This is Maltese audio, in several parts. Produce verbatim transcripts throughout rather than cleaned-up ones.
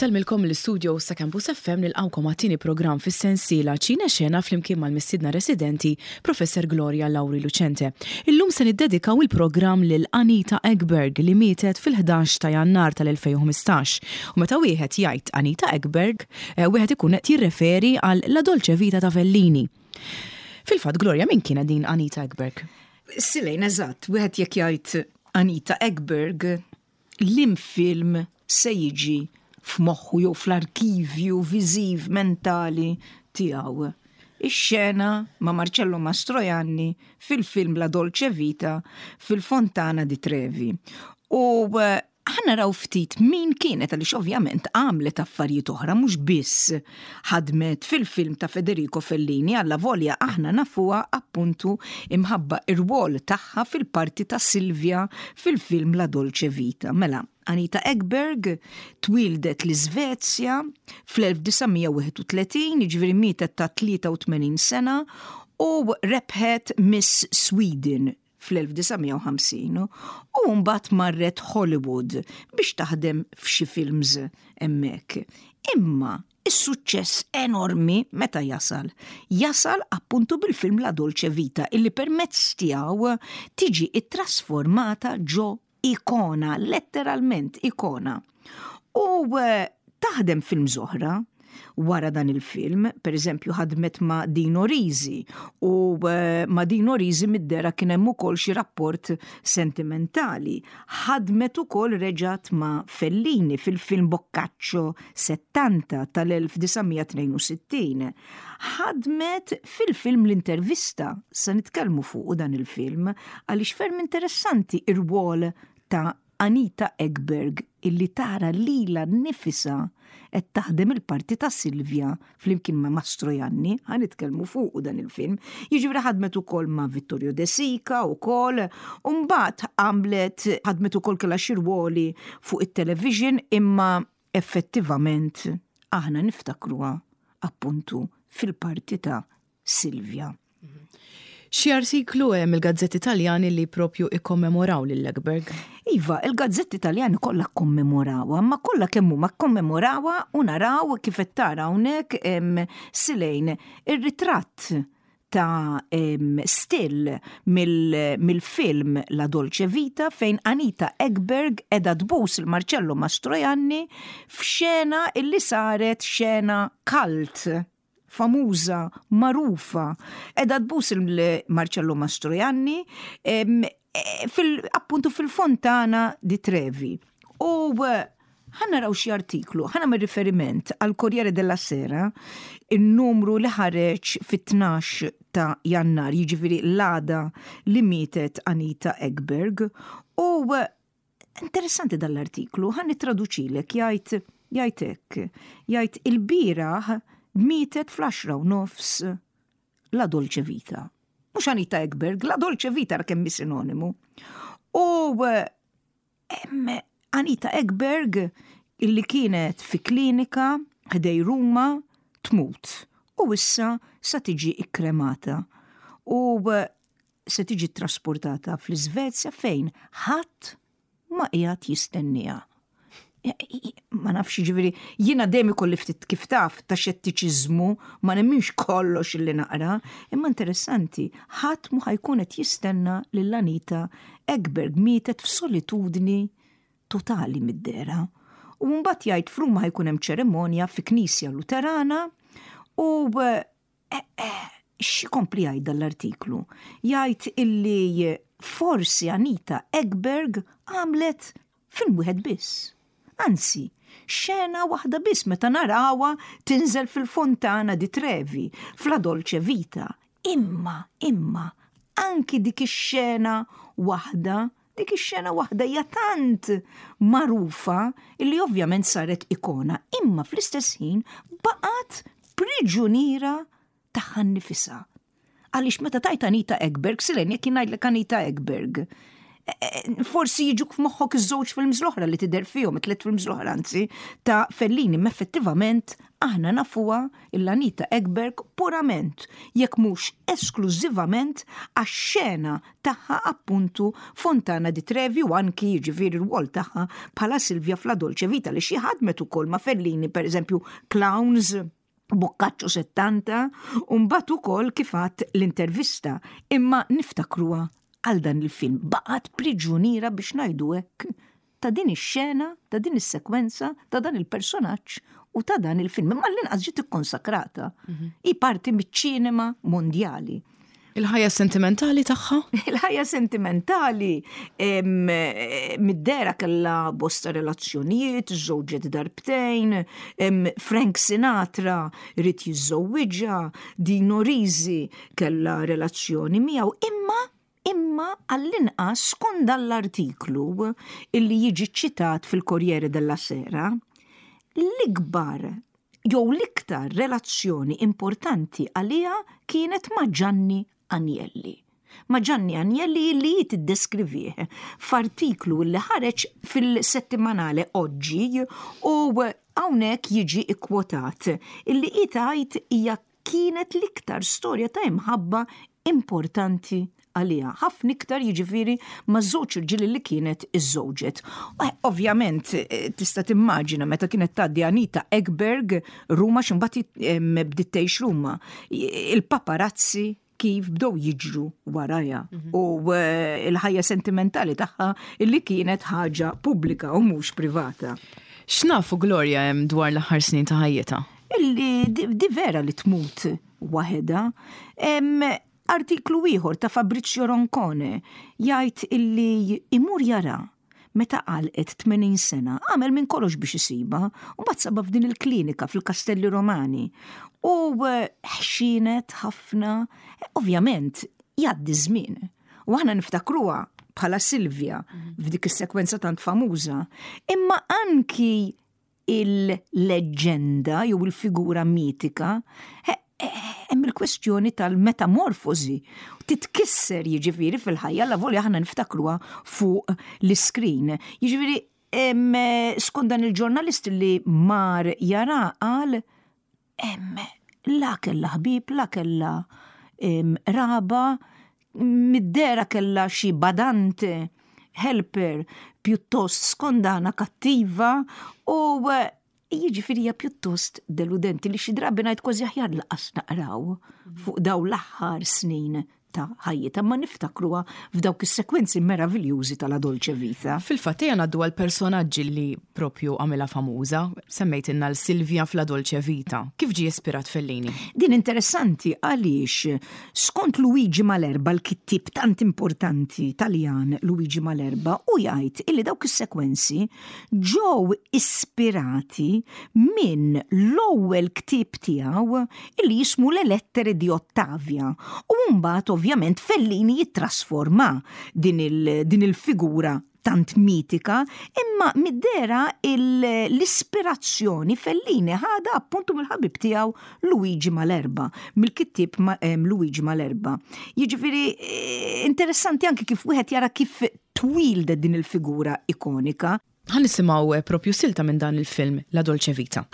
Insellmilkom l-istudio sa Campus F M, nilqgħukom għat-tieni programm fis-sensiela Ċine Xena flimkien mal-mistiedna residenti, Professor Gloria Lauri Lucente. Illum se niddedikaw il-programm lil Anita Ekberg, li mietet fil-ħdax ta' Jannar tal-elfejn u ħmistax. U meta wieħed jgħid Anita Ekberg, eh, wieħed ikun qed jirreferi għal La Dolce Vita ta' Fellini. Fil-fatt, Gloria, min kienet din Anita Ekberg? Silejn, eżatt, wieħed jekk jgħid Anita Ekberg, l-film se jiġi f'moħħu jew fl-arkivju viżiv mentali tiegħu? Ix-xena ma' Marcello Mastroianni fil-film La Dolce Vita fil-Fontana di Trevi. U eh, ħa naraw ftit min kienet, għaliex ovvjament għamlet affarijiet oħra, mhux biss ħadmet fil-film ta' Federico Fellini, alla volja aħna nafuha appuntu imħabba ir-rwol tagħha fil-parti ta' Silvia fil-film La Dolce Vita. Mela, Anita Ekberg twildet l-Iżvezja fl-elf disa' mija u wieħed u tletin, jiġifieri mietet ta' tlieta u tmenin sena, u rebħet Miss Sweden fl-elf disa' mija u ħamsin u mbagħad marret Hollywood biex taħdem f'xi films hemmhekk. Imma is-suċċess enormi meta jasal? Jasal appuntu bil-film La Dolce Vita, illi permezz tiegħu tiġi ittrasformata ġo ikona, letteralment ikona. U eh, taħdem films oħra wara dan il-film, per eżempju ħadmet ma' Dino Risi u eh, ma' Dino Risi mid-dehra kien hemm ukoll xi rapport sentimentali. Ħadmet ukoll reġat ma' Fellini fil-film Boccaccio settanta tal-elf disa' mija tnejn u sittin. Ħadmet fil-film L-Intervista, se nitkellmu fuq dan il-film għaliex ferm interessanti ir-rwol ta' Anita Ekberg illi tara lilha nnifisha qed taħdem il-parti ta' Silvia flimkien ma' Mastroianni, ħa nitkellmu fuq dan il-film. Jiġifieri ħadmet ukoll ma' Vittorio De Sica ukoll, u mbagħad għamlet, ħadmet ukoll, kellha xi rwoli fuq it-television, imma effettivament aħna niftakruha appuntu fil-parti ta' Silvia. Xi artiklu hemm il-gazzetti Taljani li propju ikkommemoraw lil Ekberg? Iva, il-gazzetti Taljani kollha kommemorawha, ma kollha kemm huma kommemorawha, u naraw kif qed tara hawnhekk em, Silejn, ir-ritratt ta' em, still mill- mill-film La Dolce Vita fejn Anita Ekberg qiegħda tbus lil Marcello Mastroianni f'xena illi saret xena cult, famuża, magħrufa. Qiegħda tbus il-Marcello Mastroianni em, eh, fil, appuntu fil-Fontana di Trevi. U eh, ħa naraw xi artiklu, ħa nagħmel riferiment għal Corriere della Sera, il-numru li ħareġ fit-tnax ta' Jannar, jiġifieri l-għada li mietet Anita Ekberg. U eh, interessanti dal-artiklu, ħa nittraduċilek, jgħid jgħid hekk, jgħid: "Il-bieraħ mietet fl-għaxra u nofs La Dolce Vita." Mhux Anita Ekberg, La Dolce Vita, ra kemm sinonimu. U eh, em, Anita Ekberg illi kienet fi klinika ħdejn Ruma tmut. U issa sa tiġi ikkremata. U eh, se tiġi trasportata fl-Iżvezja fejn ħadd ma qiegħed jistenniha. Ma nafx, ġifieri, jiena dejjem ikolli ftit, kif taf, ta' xettiċiżmu, ma nemminx kollox illi naqra, imma interessanti, ħadd mu ħa jkun qed jistenna lil Anita Ekberg, mietet f'solitudni totali mid-dehra. U mbagħad jgħid f'Ruma ħa jkun hemm ċerimonja fi knisja Luterana u eh, eh, x'ikompli jgħid dal-artiklu? Jgħid illi forsi Anita Ekberg għamlet film wieħed biss. Anzi, xena waħda biss meta narawha tinżel fil-Fontana di Trevi, f'La Dolce Vita. Imma, imma, anki dik ix-xena waħda, dik ix-xena waħda hija tant magħrufa illi ovvjament saret ikona, imma fl-istess ħin baqgħet priġuniera tagħha nnifisha. Għaliex meta tgħid Anita Ekberg, Silejn, jekk ngħidlek Anita Ekberg, Forsi jiġuk f'moħħok iż-żewġ films l-oħra li tidher fihom, it-tliet films l-oħra anzi, ta' Fellini, ma effettivament aħna nafuha l-Anita Ekberg purament, jekk mhux esklużivament, għax-xena tagħha appuntu Fontana di Trevi u anki jiġifieri r-rwol tagħha bħala Silvia f'La Dolce Vita, li xi ħadmet ukoll ma' Fellini, pereżempju Clowns, Boccaccio settanta, u mbagħad ukoll kif għadt L-Intervista, imma niftakruha għal dan il-film. Baqgħet priġuniera, biex ngħidu hekk, ta' din ix-xena, ta' din is-sekwenza, ta' dan il-personaġġ u ta' dan il-film. Imma l-inqas ġiet ikkonsakrata. Hi parti miċ-ċinema mondjali. Il-ħajja sentimentali tagħha? Il-ħajja sentimentali mid-dehra kella bosta relazzjonijiet, żżewġet darbtejn, Frank Sinatra ried jiżżewwiġha, Dino Risi kella relazzjoni miegħu, imma imma għall-inqas skont l-artiklu illi jiġi ċitat fil-Corriere della Sera, l-ikbar jew l-iktar relazzjoni importanti għaliha kienet ma' Gianni Agnelli. Ma' Gianni Agnelli li jittideskrivih f'artiklu li ħareġ fil-settimanale Oggi u hawnhekk jiġi ikkwotat illi tgħid hija kienet l-iktar storja ta' imħabba importanti għalija. Ħafna iktar jiġifieri ma' żewġ irġieli li kienet iżżewġet. Ovvjament eh, tista' timmaġina meta kienet tgħaddi Anita Ekberg Ruma, x'imbagħad bdiet tgħix Ruma. Il-paparazzi kif bdew jiġru warajha mhm. u eh, il-ħajja sentimentali tagħha illi kienet ħaġa pubblika u mhux privata. X'nafu, Gloria, hemm dwar l-aħħar snin ta' ħajjitha? Illi di vera li tmut waħedha. Artiklu ieħor ta' Fabrizio Roncone jgħid illi imur jara meta għalqet tmenin sena, għamel minn kollox biex isiba, u mbagħad saba f'din il-klinika fil-Kastelli Romani. U eh, ħxienet ħafna, ovvjament, jgħaddi żmien. U aħna niftakruha bħala Silvia f'dik is-sekwenza tant famuża, imma anki il-leġenda jew il-figura mitika hemm il-kwestjoni tal-metamorfosi. Titkisser jiġifieri fil-ħajja la volja aħna niftakruha fuq l-iskrin. Jiġifieri skont dan il-ġurnalist li mar jara qal la kella ħbib, la kella raba, mid-dehra kella xi badante helper pjuttost skondana kattiva u jiġifieri hija pjuttost deludenti li xi drabi ngħid kważi aħjar lanqas naqraw fuq daw l-aħħar snin ta' ħajjitha, ma niftakruha f'dawk is-sekwenzi meraviljużi tal Dolce Vita. Fil-fatt ejja ngħaddu għal personaġġi li propju għamilha famuża, semmejtilna lil Silvia f'La Dolce Vita. Kif ġie ispirat Fellini? Din interessanti għaliex skont Luigi Malerba, l-kittib tant importanti Taljan Luigi Malerba, u jgħid illi dawk is-sekwenzi ġew ispirati minn l-ewwel ktieb tiegħu illi jismu Le Lettere di Ottavia. U mbagħad ovvjament Fellini jittrasforma din il-figura tant mitika, imma mid-dehra l-ispirazzjoni Fellini ħada appuntu mill-ħabib tiegħu Luigi Malerba, mill-kittib Luigi Malerba. Jiġifieri eh, interessanti anki kif wieħed jara kif twieldet din il-figura ikonika. Ħa nisimgħu eh, propju silta minn dan il-film La Dolce Vita.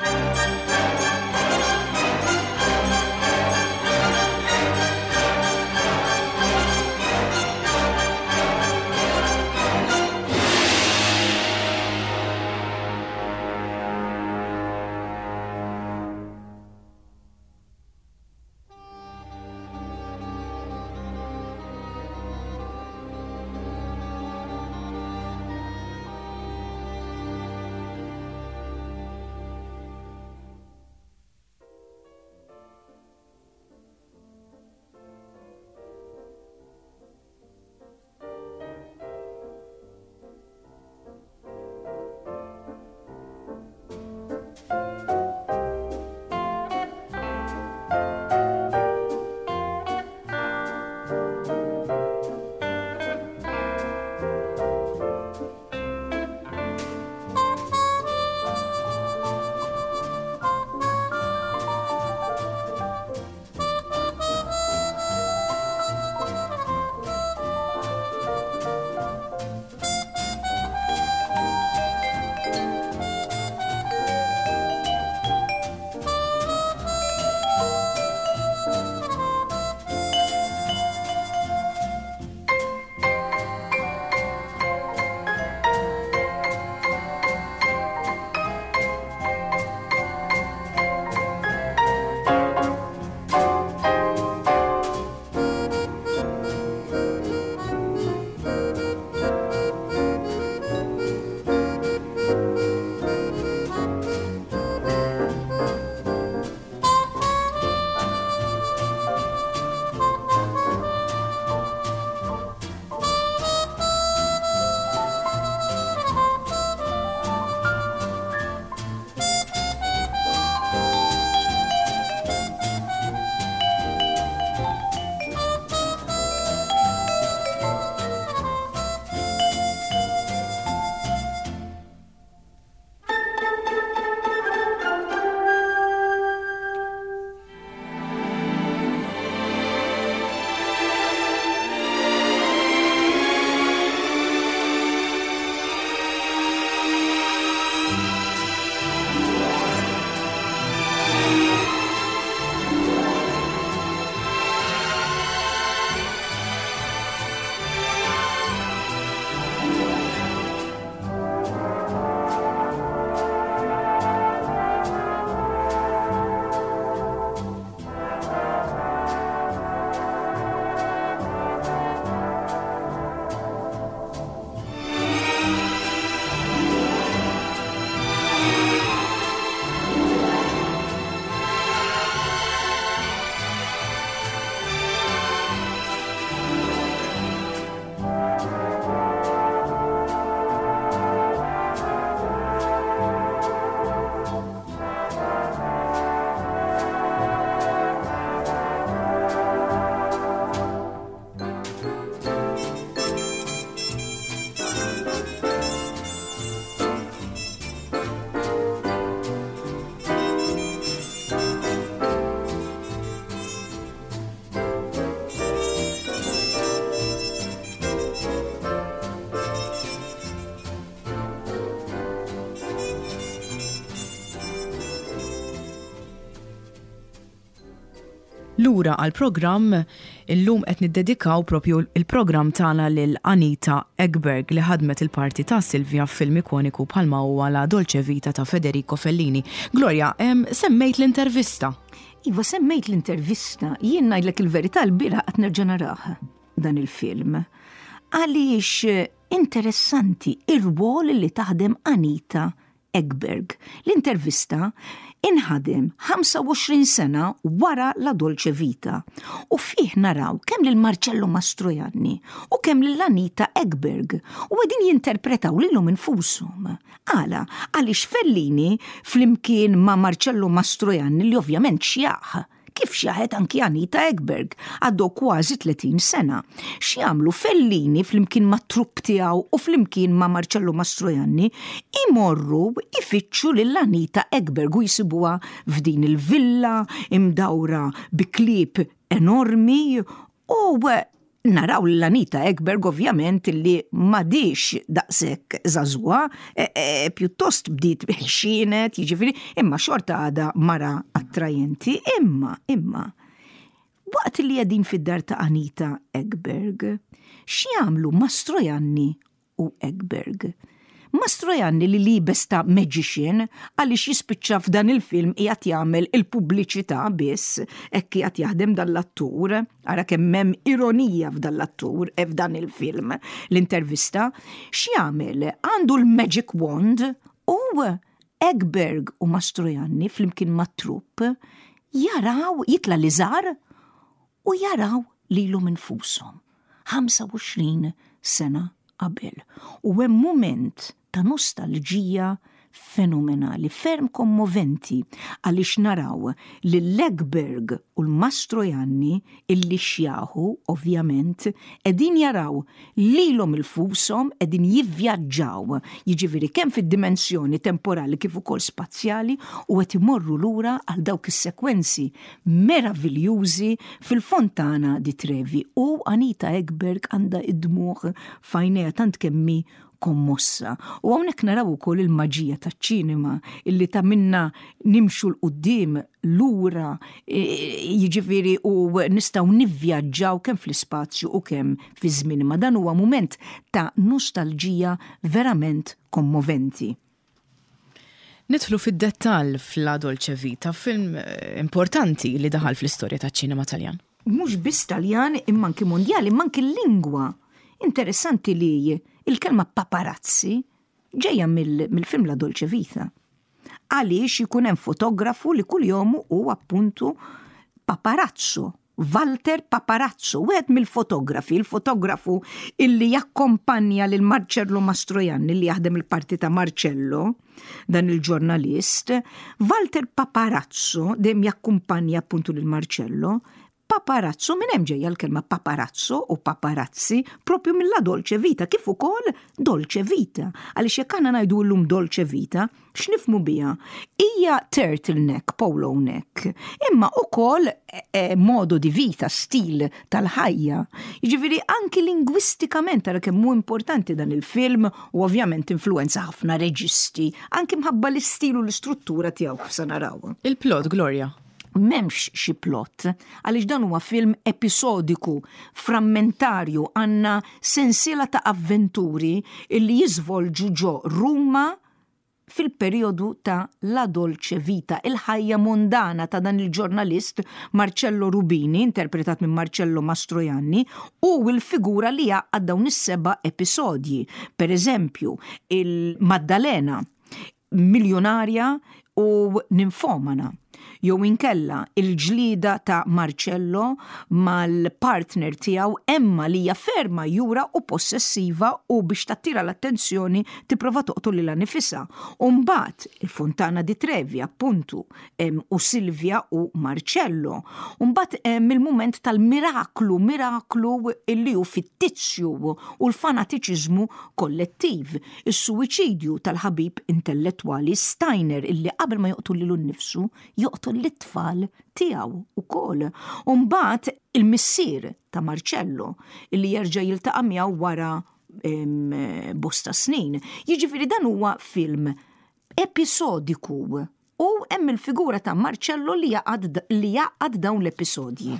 Lura għal-programm, illum qed niddedikaw propju il-programm tagħna lil Anita Ekberg, li ħadmet il-parti ta' Silvia f'film ikoniku bħalma huwa La Dolce Vita ta' Federico Fellini. Gloria, em, semmejt l-intervista. Iva, semmejt l-intervista. Jien ngħidlek il-verità, l-bieraħ qed nerġa' narah dan il-film. Għaliex interessanti ir-rwol li taħdem Anita Ekberg. L-intervista inħadem ħamsa u għoxrin sena wara La Dolce Vita u fih naraw kemm lil Marcello Mastroianni u kemm lil Anita Ekberg u qegħdin jinterpretaw lilhom infushom. Għala? Għaliex Fellini flimkien ma' Marcello Mastroianni, li ovvjament xjaħ, kif xjaħet anki Anita Ekberg, għaddew kważi tletin sena. X'jagħmlu Fellini flimkien ma' trupp tiegħu u flimkien ma' Marcello Mastroianni? Imorru ifittxu lil Anita Ekberg u jsibuha f'din il-villa imdawra bi klieb enormi u naraw l-Anita Ekberg, ovvjament, li m'għadhiex daqshekk żagħżugħa, e, e, pjuttost bdiet ħxienet, jiġifieri, imma xorta għadha mara attrajenti, imma, imma, waqt li qegħdin fid-dar ta' Anita Ekberg, x'jagħmlu Mastroianni u Ekberg? Mastroianni, li liebes ta' magician, għaliex jispiċċa f'dan il-film qiegħed jagħmel il-pubbliċità biss, hekk qiegħed jaħdem dan l-attur, ara kemm hemm ironija f'dan l-attur e f'dan il-film, l-intervista, x'jagħmel? Għandu l-magic wand u Ekberg u Mastroianni flimkien mat-trupp jaraw, jitla' liżar u jaraw lilhom infushom ħamsa u għoxrin sena qabel. U hemm moment ta' nostalġija fenomenali, ferm kommoventi, għaliex naraw li l-Ekberg u l-Mastroianni, illi xjaħu, ovvjament, qegħdin jaraw lilhom infushom qegħdin jivvjaġġaw, jiġifieri kemm fid-dimensjoni temporali kif ukoll spazjali, u qed imorru lura għal dawk is-sekwenzi meraviljużi fil-Fontana di Trevi, u Anita Ekberg għandha id-dmugħ f'għajnejha tant kemm hi kommossa. U hawnhekk naraw ukoll il-maġija taċ-ċinema illi ta' minna nimxu 'l quddiem, lura, e, jiġifieri, u nistgħu nivvjaġġaw kemm fl-ispazju u kemm fi żmien. Ma dan huwa mument ta' nostalġija verament kommoventi. Nidħlu fid-dettall f'La Dolce Vita, film eh, importanti li daħal fl-istorja taċ-ċinema Taljan. Mhux biss Taljan, imma anki mondjali, imma anki l-lingwa. Interessanti li il-kelma paparazzi ġejja mill-film La Dolce Vita. Għaliex jkun hemm fotografu li kuljom hu appuntu paparazzo. Walter Paparazzo, wieħed mill-fotografi, il-fotografu illi jakkompanja lil Marcello Mastroianni, li jaħdem il-parti ta' Marcello, dan il-ġurnalist. Walter Paparazzo dejjem jakkumpanja appuntu lil Marcello. Paparazzo, minn hemm ġejja l-kelma paparazzo u paparazzi, propju mill-La Dolce Vita, kif ukoll Dolce Vita. Għaliex jekk aħna ngħidu llum Dolce Vita, x'nifhmu biha? Hija turtleneck, polo neck, imma ukoll e, modo di vita, stil tal-ħajja. Jiġifieri anki lingwistikament tara kemm hu importanti dan il-film u ovvjament influenza ħafna reġisti, anki mħabba l-istil u l-istruttura tiegħu, kif se naraw. Il-plot, Gloria. M'hemmx xi plot, għaliex dan huwa film episodiku, frammentarju, għandna sensiela ta' avventuri illi jiżvolġu ġo Ruma fil-periodu ta' La Dolce Vita, il-ħajja mondana ta' dan il-ġurnalist Marcello Rubini, interpretat minn Marcello Mastroianni, u il-figura li jgħaqqad dawn is-seba' episodji. Per eżempju, il-Maddalena, miljonarja u ninfomana, jew inkella il-ġlida ta' Marcello mal-partner tiegħu Emma, li hija ferma jura u possessiva u biex tattira l-attenzjoni tipprova toqtol lilha nnifisha. U mbagħad il-Fontana di Trevi, appuntu, u Silvia u Marcello. U mbagħad hemm il-mument tal-miraklu, miraklu illi hu fittizju, u l-fanatiċiżmu kollettiv, is-suwiċidju tal-ħabib intellettwali Steiner, illi qabel ma joqtol lilu nnifsu joqtol l-tfal tiegħu ukoll. U mbagħad il-missier ta' Marcello illi jerġa' jiltaqa' miegħu wara bosta snin. Jiġifieri dan huwa film episodiku. U hemm il-figura ta' Marcello li jgħaqqad dawn l-episodji.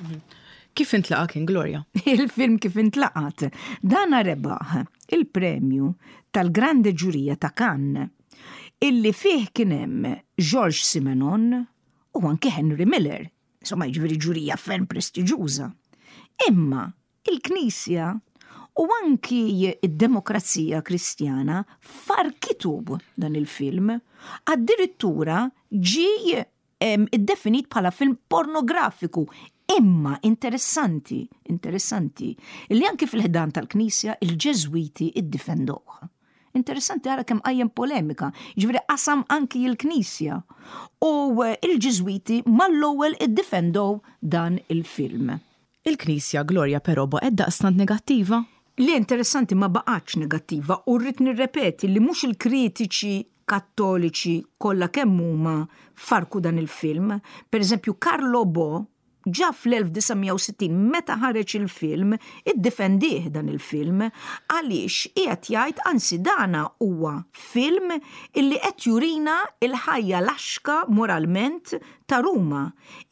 Kif intlaqa kien, Gloria? Il-film kif intlaqat? Dana rebaħ il-premju tal-Grande Ġurija ta' Cannes, illi fih kien hemm Georges Simenon u anke Henry Miller. Insomma, jiġifieri ġurija ferm prestiġjuża. Imma il-Knisja u anki id-demokrazija Kristjana farkitu dan il-film. Addirittura ġi iddefinit bħala film pornografiku. Imma interessanti, interessanti, li anki fil-ħdan tal-Knisja il-Ġeżwiti iddifendoh. Interessanti, ara kemm qajjem polemika, ġifieri qasam anki il-Knisja. U il-Ġeżwiti mal-ewwel iddifendow dan il-film. Il-Knisja, Gloria, però baqgħet daqstant negattiva? Li interessanti, ma baqgħetx negattiva u rrid nirrepeti li mhux il-kritiċi kattoliċi kollha kemm huma farku dan il-film. Per eżempju, Carlo Bo ġa fl-elf disa' mija u sittin, meta ħareġ il-film, iddefendih dan il-film, għaliex qiegħed jgħid, anzi, dana huwa film illi qed jurina il-ħajja laxka moralment ta' Ruma.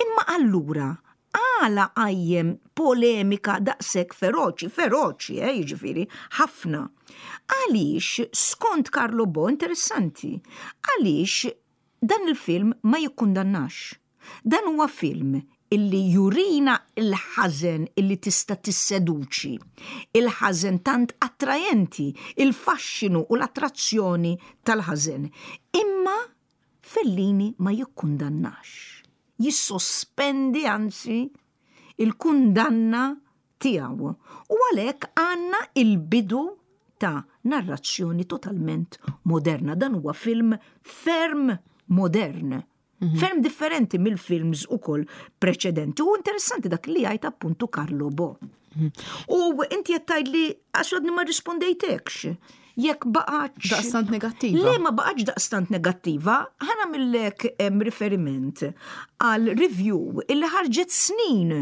Imma allura għala qajjem polemika daqshekk feroċi, feroċi, eh, jiġifieri, ħafna? Għaliex, skont Carlo Bo, interessanti, għaliex dan il-film ma jikkundannax. Dan huwa film illi jurina il-ħażen illi tista' tisseduċi, il-ħażen tant attrajenti, il-faxxinu u l-attrazzjoni tal-ħażen. Imma Fellini ma jikkundannax. Jissospendi anzi il-kundanna tiegħu. U għalhekk għandna il-bidu ta' narrazzjoni totalment moderna. Dan huwa film ferm modern. Mhm. Ferm differenti mill-films ukoll preċedenti. U interessanti dak li jgħid appuntu Carlo Bo. Mhm. U inti qed tgħidli, għax għadni ma rispondejtekx, jekk baqgħetx. Daqstant negattiva. Le, ma baqgħetx daqstant negattiva. Ħa nagħmillek riferiment għal review illi ħarġet snin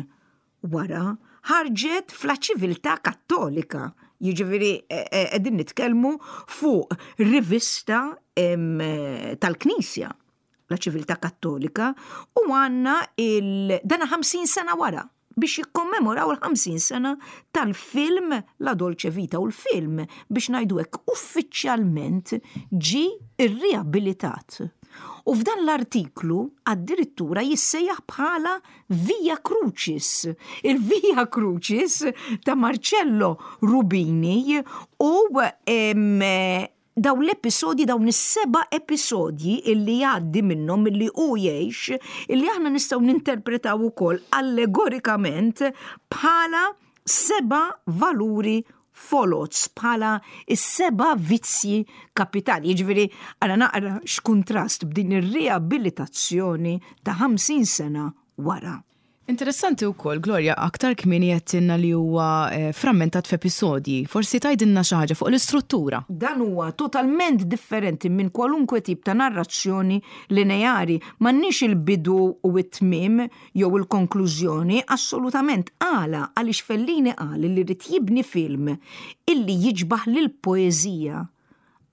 wara, ħarġet f'La Civiltà Kattolika. Jiġifieri qegħdin nitkellmu fuq rivista tal-Knisja, La Civiltà Kattolika, u għandna il-dana ħamsin sena wara biex jikkommemoraw il-ħamsin sena tal-film La Dolce Vita, u l-film, biex ngħidu hekk, uffiċjalment ġi irriabilitat. U f'dan l-artiklu addirittura jissejjaħ bħala Via Crucis. Il-Via Crucis ta' Marcello Rubini u em, daw l-episodji, dawn is-seba' episodji illi jgħaddi minnhom, illi hu jgħix, illi aħna nistgħu ninterpretaw ukoll allegorikament bħala seba' valuri foloz, bħala is-seba' vizzji kapitali. Jiġifieri għara naqra x'kuntrast b'din ir-riabilitazzjoni ta' ħamsin sena wara. Interessanti wkoll, Gloria, aktar kmieni għedtilna li huwa eh, frammentat f'episodji. Forsi tgħidilna xi ħaġa fuq l-istruttura. Dan huwa totalment differenti minn kwalunkwe tip ta' narrazzjoni lineari. M'għandniex il-bidu u it-tmim jew il-konklużjoni, assolutament. Għala? Għaliex Fellini qal li rrid jibni film illi jiġbaħ lil poeżija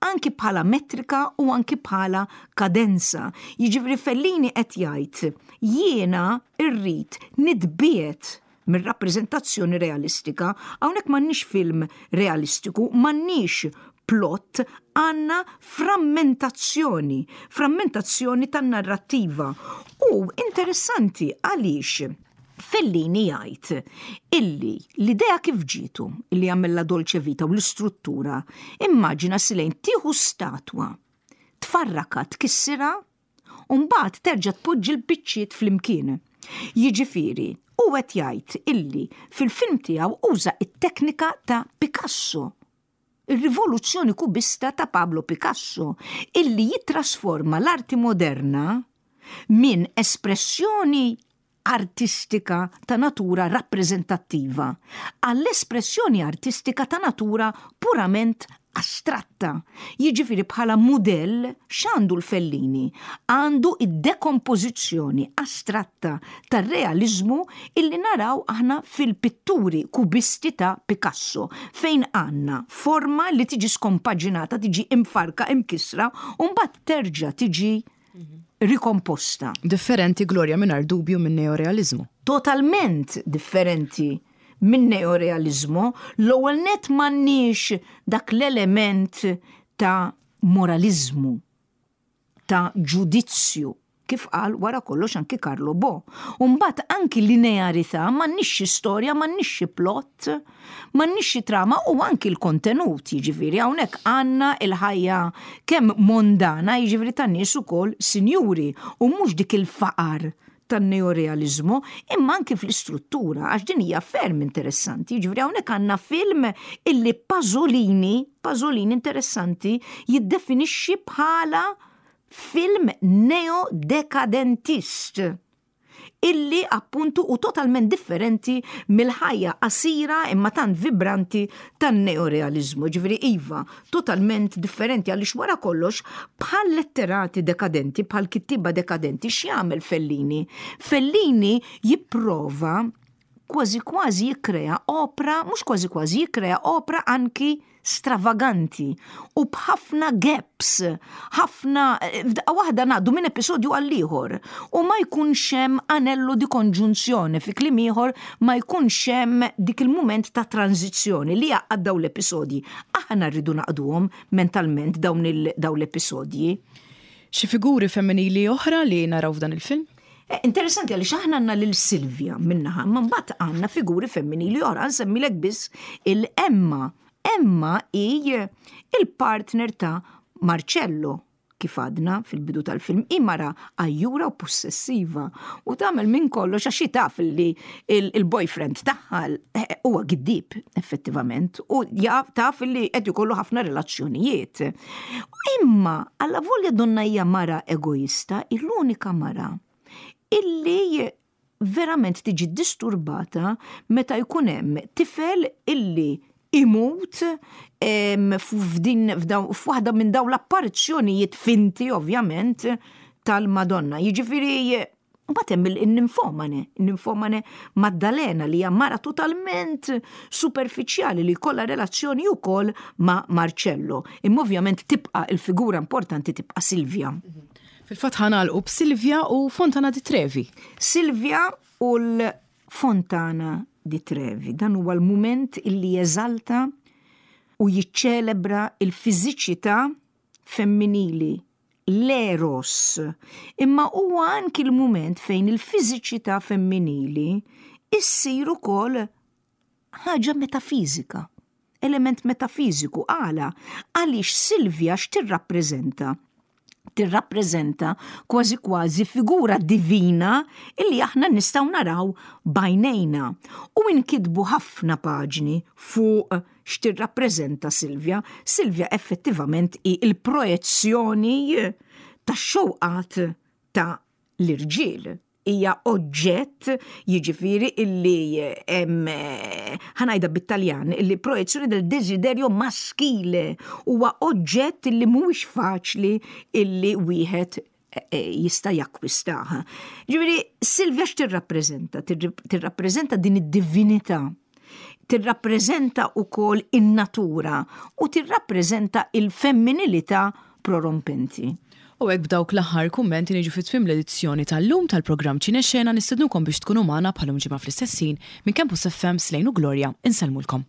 anki bħala metrika u anki bħala kadenza. Jiġifieri Fellini qed jgħid, jiena rrid nitbiegħed mir-rappreżentazzjoni realistika. Hawnhekk m'għandniex film realistiku, m'għandniex plot, għandna frammentazzjoni, frammentazzjoni tan-narrattiva. U interessanti għaliex Fellini jgħid illi l-idea kif ġietu illi jagħmel La Dolce Vita u l-istruttura, immaġina, Silejn, tieħu statwa, tfarraka, tkissira, u mbagħad terġa' tpoġġi l-biċċiet flimkien. Jiġifieri, u qed jgħid illi fil-film tiegħu uża it-teknika ta' Picasso, il-rivoluzzjoni kubista ta' Pablo Picasso, illi jittrasforma l-arti moderna minn espressjoni artistika ta' natura rappreżentattiva għall-espressjoni artistika ta' natura purament astratta. Jiġifieri bħala mudell x'għandu l-Fellini? Għandu id-dekompożizzjoni astratta tar-realizmu illi naraw aħna fil-pitturi kubisti ta' Picasso, fejn għandna forma li tiġi skompaġinata, tiġi imfarka, imkisra, u mbagħad terġa' tiġi Rikomposta. Differenti, Gloria, mingħajr dubju minn neorealizmu. Totalment differenti minn neorealizmu. L-ewwel net m'għandniex dak l-element ta' moralizmu, ta' ġudizzju, kif qal wara kollox anki Carlo Bo. Umbat anki linearità, m'għandniex xi storja, m'għandniex xi plot, m'għandniex xi trama u anki l-kontenut, jiġifieri hawnhekk għandna il-ħajja kemm mondana, jiġifieri tan-nies ukoll sinjuri, u mhux dik il-faqar tan-neorealizmu, imma anki fl-istruttura, għax din hija ferm interessanti. Jiġifieri hawnhekk għandna film illi Pasolini, Pasolini interessanti, jiddefinixxi bħala film neodekadentist illi appuntu u totalment differenti mill-ħajja qasira imma tant vibranti tan-neorealizmu. Ġifieri iva, totalment differenti għaliex wara kollox bħal letterati dekadenti, bħal kittiba dekadenti, x'jagħmel Fellini? Fellini jipprova kważi kważi jikkrea opra, mhux kważi kważi, jikkrea opra anki stravaganti u b'ħafna gaps, ħafna, f'daqqa waħda ngħaddu minn episodju għal ieħor u ma jkunx hemm anello di konġunzjoni, fi kliem ieħor ma jkunx hemm dik il-mument ta' tranzizzjoni li jgħaqqad dawn l-episodji. Aħna rridu naqduhom mentalment dawn dawn l-episodji. Xi figuri femminili oħra li naraw f'dan il-film? Eh, interessanti għaliex aħna għandna lil Silvia min-naħa, ma mbagħad għandna figuri femminili oħra, nsemmilek biss il-Emma. Emma hi il-partner ta' Marcello, kif għadna fil-bidu tal-film, hi mara għajjura u possessiva u tagħmel minn kollox għax taf li il-boyfriend tagħha eh, huwa giddib effettivament u taf li qed ikollu ħafna relazzjonijiet. Imma alla volja donna hija mara egoista, l-unika mara illi verament tiġi disturbata meta jkun hemm tifel illi imut f'din f'waħda minn dawn l-apparizzjonijiet finti ovvjament tal-Madonna. Jiġifieri mbagħad hemm il-ninfomane, il-ninfomane Maddalena li hija mara totalment superfiċjali li jkollha relazzjoni wkoll ma' Marcello. Imma ovvjament tibqa' il-figura importanti tibqa' Silvia. Fil-fatt ħa nagħlqu b'Silvia u Fontana di Trevi. Silvia u l-Fontana di Trevi. Dan huwa l-mument illi jeżalta u jiċċelebra il-fiżiċità femminili, l-eros. Imma huwa anki l-mument fejn il-fiżiċità femminili issir ukoll ħaġa metafizika, element metafiziku. Għala? Għaliex Silvia x'tirrappreżenta? Tirrappreżenta kważi kważi figura divina illi aħna nistgħu naraw b'għajnejna. U inkitbu ħafna paġni fuq x'tirrappreżenta Silvia. Silvia effettivament hi il-projezzjoni tax-xewqat ta' l-irġiel, hija oġġett, jiġifieri illi ħa ngħidha bit-Taljan, illi proiezione del desiderio maschile, huwa oġġett illi mhuwiex faċli illi wieħed eh, eh, jista' jakkwistaha. Ġifieri Silvia x'tirrappreżenta? Tirrappreżenta din id-divinità, tirrappreżenta wkoll in-natura u tirrappreżenta il-femminilità prorompenti. U hekk b'dawk l-aħħar kummenti niġu fi tmiem l-edizzjoni tal-lum tal-programm Ċinexxena. Nistednukom biex tkunu magħna bħal-lum ġimgħa fl-istess ħin. Minn Campus F M, Slejn u Gloria, insellmulkom.